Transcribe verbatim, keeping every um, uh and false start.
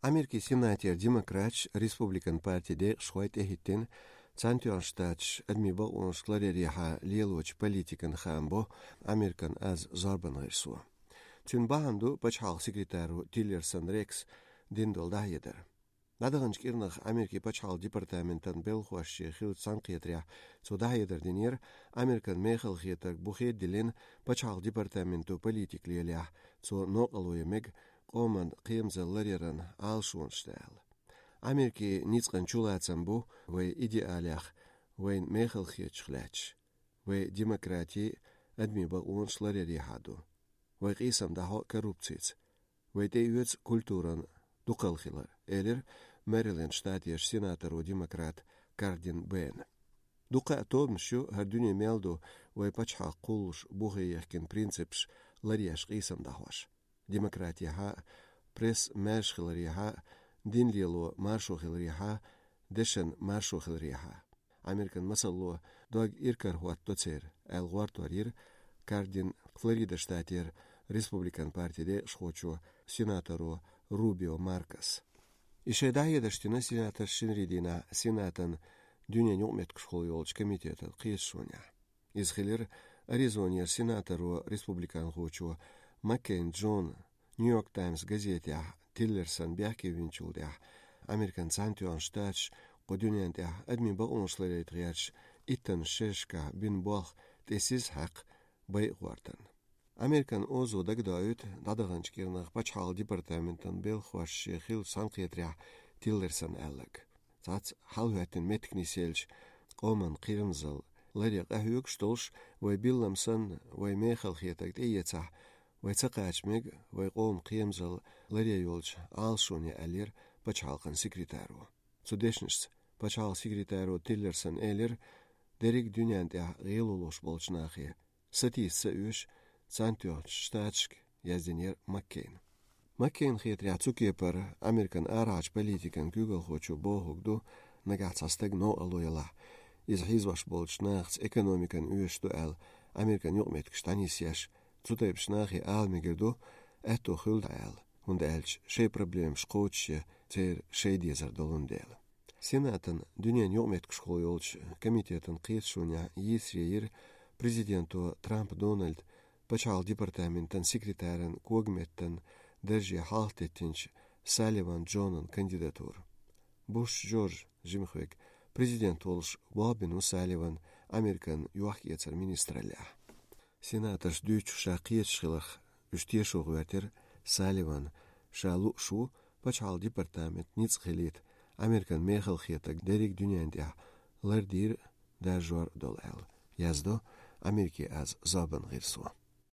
Американ Сенатера демократаш, республикан партин декъашхой тӀехӀиттина Цхьаьнатоьхначу Штаташа адамийн бакъонаш ларъярехьа лелочу политикан хаам бо Американ аз зорбан гӀирсо. Цуьнан бахьана ду пачхьалкхан секретаро Тиллерсон Рекса дина долу дӀахьедар. ДӀадаханчу кӀирнах Американ пачхьалкхан департаментан белхахошца хиллачу цхьаьнакхетарехь цо дӀахьедар динера, Американ мехала хетарг бухе а диллина, пачхьалкхан департаменто политика лелахь, цо новкъарло ян мега къоман кхерамзалла ларъяран Ӏалашонашна аьлла. Американ ницкъан чулацам бу вайн идеалех, вайн мехала хетачух лаьтташ. Вайн демократи а, адамийн бакъонаш ларъярехьа ду. Вайн къийсам дӀахьо коррупцица. Вай тӀеоьцу культуран дукхалла хилар, элира Мэриленд штатера сенаторо демократ Кардин Бена. Дукха а тобанаш ю, хӀара дуьне мел ду вай пачхьалкх кхуллуш бухе яхкина принципаш ларъеш къийсам дӀахьош. Демократехьа а, пресса маьрша хиларехьа а, дин лело маршо хиларехьа а, дешан маршо хиларехьа а. Американ масалло дог иракарахӀоттадо церан, аьлла гӀортор йира Кардин Флорида штатера республикан партин декъашхочо, сенаторо Рубио Маркос. И шайн дӀахьедарш дина сенаторша шинарин дийнахь Сенатан дуьненан юкъаметтигашкахула йолчу комитетан кхеташонехь. Иза хилира Аризонера сенаторо, республиканхочо Маккейн Джона Нью-Йорк Таймс газетехь Тиллерсон бехке винчул тӀаьхьа Американ Цхьаьнатоьхна Штаташ кху дуьнен тӀехь адамийн бакъонаш ларъяран гӀерташ иттаннаш шерашкахь бина болх тӀе сиз хьаькхна байа гӀортарна. Американ озо дагадоуьйту дӀадаханчу кӀирнах пачхьалкхан департаментан белхахошца хиллачу цхьаьнакхетарехь Тиллерсона аьлларг. Цхьацца хьалахӀоьттина меттиг нисъелча, къоман кхерамзалла ларъян къахьоьгуш долуш, вай биллам санна, вай мехала хетарг тӀеэцахь, вай ца кхача мега вай къоман кхерамзалла ларъян йолчу Ӏалашоне, аьллера пачхьалкхан секретаро. Цу дешнашца пачхьалкхан секретаро Тиллерсона элира, дерриг дуьнен тӀехь гӀело луш болчу нахе сатийса ца оьшу Цхьаьнатоьхначу Штаташка, яздинера Маккейна. Маккейна хетарехь, цу кепара Американ арахьарчу политикан куьйгалхочо бохург ду, нагахь цхьа стаг новкъарло ялахь, иза хьийзош болчу нахаца экономикана оьшуш ду аьлла, Американ юкъаметтигаш дӀанисъеш, цу тайпанчу нахе ала мегар ду, аьтто хуьлда аьлла, хӀунда аьлча шайн проблемаш кхочушъян церан шайн дезар долун дела. Сенатан дуьненан юкъаметтигашкахула йолчу комитетан кхеташонехь йийсаре йира президенто Трамп Дональда пачхьалкхан департаментан секретаран когаметтан дарже хьалхатеттинчу Салливан Джонан кандидатура. Буш Джордж жимахвега президент волуш болх бина ву Салливан Американ йохк-эцаран министраллехь. Сенаторша дуьйцучух ша кхеташ хиларх, уьш тешо гӀоьртира Салливана, ша лууш ву пачхьалкхан департамент ницкъ хилийта Американ мехала хетарг дерриг дуьнен тӀехь лардийр а, даржор а долу аьлла, яздо Американ аз зорбан гӀирсо.